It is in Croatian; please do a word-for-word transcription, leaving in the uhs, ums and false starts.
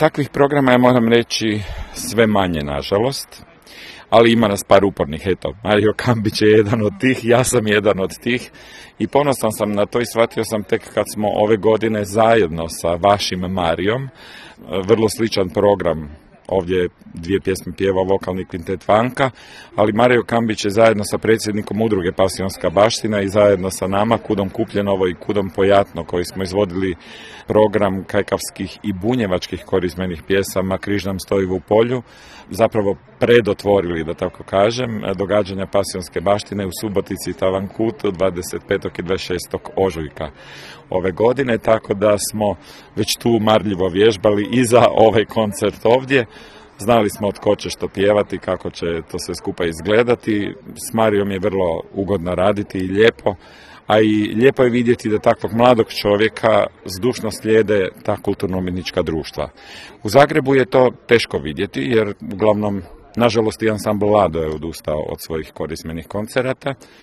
Takvih programa, ja moram reći, sve manje, nažalost, ali ima nas par upornih. Eto, Mario Kambić je jedan od tih, ja sam jedan od tih i ponosan sam na to i shvatio sam tek kad smo ove godine zajedno sa vašim Marijom, vrlo sličan program, ovdje dvije pjesme pjeva vokalni kvintet Vanka, ali Mario Kambić je zajedno sa predsjednikom udruge Pasionska baština i zajedno sa nama, Kudom Kupljenovo i Kudom Pojatno, koji smo izvodili program kajkavskih i bunjevačkih korizmenih pjesama Križ nam stoji u polju, zapravo predotvorili, da tako kažem, događanja Pasionske baštine u Subotici i Tavankutu dvadeset petog i dvadeset šestog ožujka ove godine, tako da smo već tu marljivo vježbali i za ovaj koncert ovdje. Znali smo od ko će što pjevati, kako će to sve skupa izgledati. S Marijom je vrlo ugodno raditi i lijepo, a i lijepo je vidjeti da takvog mladog čovjeka zdušno slijede ta kulturno-umjetnička društva. U Zagrebu je to teško vidjeti, jer uglavnom, nažalost, i ansambl Lado je odustao od svojih korizmenih koncerata.